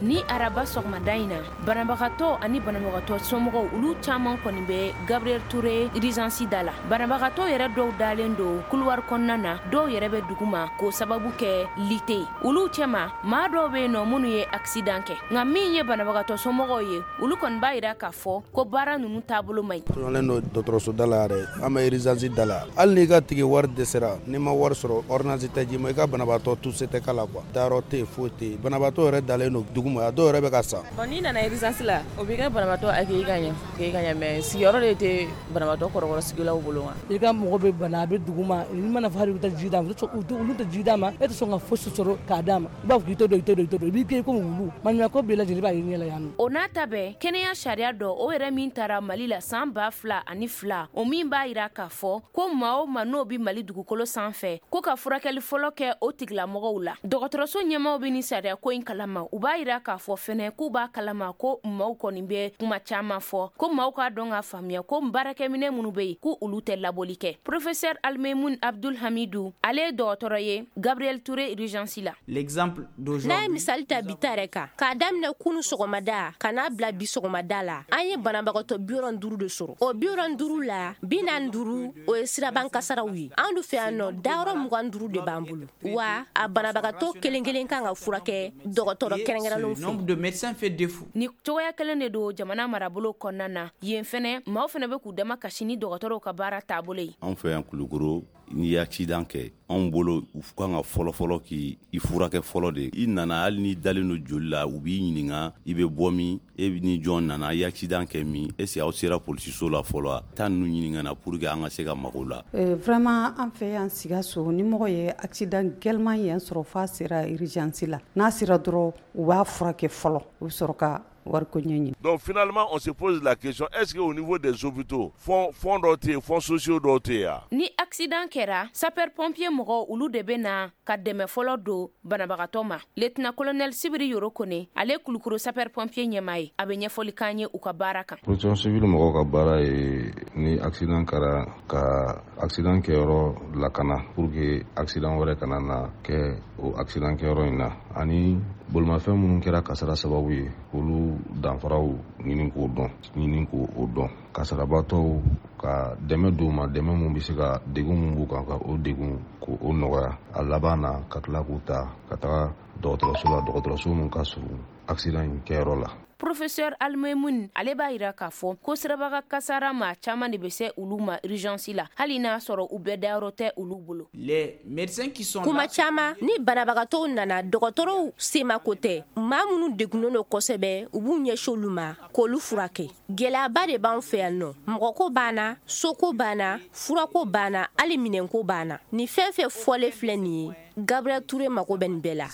Ni araba sɔgɔmada in na, banabagatɔ ani banabagatɔ somɔgɔw, olu caman kɔni bɛ Gabriel Touré urgence da la. Banabagatɔ yɛrɛ dɔw dalen don couloir kɔnɔna na, dɔw yɛrɛ bɛ duguma k'o sababu kɛ lit tɛ yen olu cɛma. Maa dɔw bɛ yen nɔ minnu ye accident kɛ, nka min ye banabagatɔ somɔgɔw ye, olu kɔni b'a jira k'a fɔ ko baara ninnu taabolo man ɲi. Tɔɲɔlen don dɔgɔtɔrɔso da la yɛrɛ, an bɛ urgence da la. Hali n'i ka tigi wari dɛsɛra, n'i ma wari sɔrɔ, ordonnance tɛ d'i ma, i ka banabaatɔ tout se tɛ k'a la quoi. Dayɔrɔ tɛ yen, foyi tɛ yen. Banabaatɔ yɛrɛ dalen don duguma, a dɔw yɛrɛ bɛ ka sa. Bon, n'i nana urgence la, o b'i ka banabaatɔ accueillir ka ɲɛ, accueillir ka ɲɛ, mais sigiyɔrɔ de tɛ banabaatɔ kɔrɔkɔrɔ sigilaw bolo wa. I ka mɔgɔ bɛ bana, a bɛ dugu ma, i mana fɔ hali i bɛ taa ji d'a ma, olu tɛ ji d'a ma. E tɛ sɔn ka fosi sɔrɔ k'a d'a ma. I b'a fɔ k'i to don, i to don, i to don, i b'i kɛ komi wulu. Maɲumako bɛɛ lajɛlen b'a ye ɲɛ la yan nɔ. O n'a ta bɛɛ, kɛnɛya sariya dɔ, o yɛrɛ min taara Mali la san 2002, o min b'a yira k'a fɔ ko maa o maa n'o bɛ Mali dugukolo sanfɛ, ko ka furakɛli fɔlɔ kɛ o tigilamɔgɔw la. Dɔgɔtɔrɔso ɲɛmaaw bɛ ni sariya ko in kalama. U b'a yira k'a fɔ fɛnɛ k'u b'a kalama ko maaw kɔni bɛ kuma caman fɔ, ko maaw k'a dɔn k'a faamuya ko baarakɛminɛ minnu bɛ yen, ko olu tɛ labɔli kɛ. Professeur Almemoun Abdul Hamidu, ale ye dɔgɔtɔrɔ ye Gabriel Touré urgence la. L'exemple d'aujourd'hui. N'a ye misali ta bi ta yɛrɛ kan, k'a daminɛ kunu sɔgɔmada ka n'a bila bi sɔgɔmada la, an ye banabagatɔ 75 de sɔrɔ. O 75 la, 45, o ye siraban kasaraw ye. An du fɛ yan nɔ, dayɔrɔ 25 de b'an bolo wa a banabagatɔ kelen kelen kan ka furakɛ dɔgɔtɔrɔ kɛrɛnkɛrɛnnenw fɛ. Nombre de médecins fait défaut. Ni cogoya kelen de don jamana marabolo kɔnɔna na yen fɛnɛ, maaw fɛnɛ bɛ k'u dama kasi ni dɔgɔtɔrɔw ka baara taabolo ye. Anw fɛ yan Kulukoro, n'i ye accident kɛ, anw bolo, u kan ka fɔlɔfɔlɔ k'i furakɛ fɔlɔ de. I nana, hali n'i dalen don joli la, u b'i ɲininka i bɛ bɔ min, e ni jɔn nana, i accident kɛ min, est ce que aw sera polisiso la fɔlɔ? Taa ninnu ɲininka na pour que an ka se ka mago la. Vraiment, an fɛ yan Sikaso, ni mɔgɔ ye accident gɛlɛman yɛn sɔrɔ f'a sera urgence la, n'a sera dɔrɔn, u b'a furakɛ fɔlɔ, u bɛ sɔrɔ ka wariko ɲɛɲini. Donc finalement, on se pose la question: est-ce qu'au niveau des hôpitaux, fonds dɔw tɛ yen, fonds sociaux dɔw tɛ yen? Ni accident kɛra, sapeur pompier mɔgɔw, olu de bɛ na ka dɛmɛ fɔlɔ don banabagatɔ ma. Lieutenant colonel Sibiri Yoro Kone, ale Kulukoro sapeur pompier ɲɛmaa ye, a bɛ ɲɛfɔli k'an ye u ka baara kan. Protection civile mɔgɔw ka baara ye, ni accident kɛra, ka accident kɛyɔrɔ lakana pour que accident wɛrɛ kana na kɛ o accident kɛyɔrɔ in na, ani bolimafɛn minnu kɛra kasara sababu ye, olu danfaraw ɲini k'o dɔn, ɲini k'o dɔn, kasarabatɔw ka dɛmɛ d'u ma, dɛmɛ mun bɛ se ka degun mun b'u kan, ka o degun k'o nɔgɔya. A laban na, ka tila k'u ta ka taga dɔgɔtɔrɔso la, dɔgɔtɔrɔso mun ka surun accident in kɛyɔrɔ la. Professeur Almemoun, ale b'a yira k'a fɔ ko sirabaga kasara, maa caman de bɛ se olu ma urgence la, hali n'a sɔrɔ u bɛɛ dayɔrɔ tɛ olu bolo. Les médecins qui sont Kuma caman, ni banabagatɔw nana, dɔgɔtɔrɔw semako tɛ. Maa minnu degunnen don kosɛbɛ, u b'u ɲɛsin olu ma k'olu furakɛ. Gɛlɛyaba de b'an fɛ yan nɔ. Mɔgɔko banna, soko banna, furako banna, hali minɛnko banna. Nin fɛn fɛn fɔlen filɛ nin ye, Gabriel Touré mako bɛ nin bɛɛ la.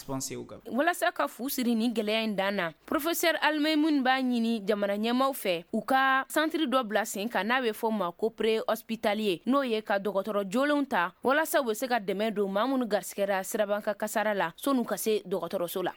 Walasa ka fu siri ni gɛlɛya in dan na, professeur Almemoun b'a ɲini jamana ɲɛmaw fɛ, u ka centre dɔ bila sen kan n'a bɛ fɔ ma ko pré hospitalier, n'o ye ka dɔgɔtɔrɔ jolenw ta walasa u bɛ se ka dɛmɛ don maa minnu garisigɛra sirabanka kasara la, sɔn'u ka se dɔgɔtɔrɔso la.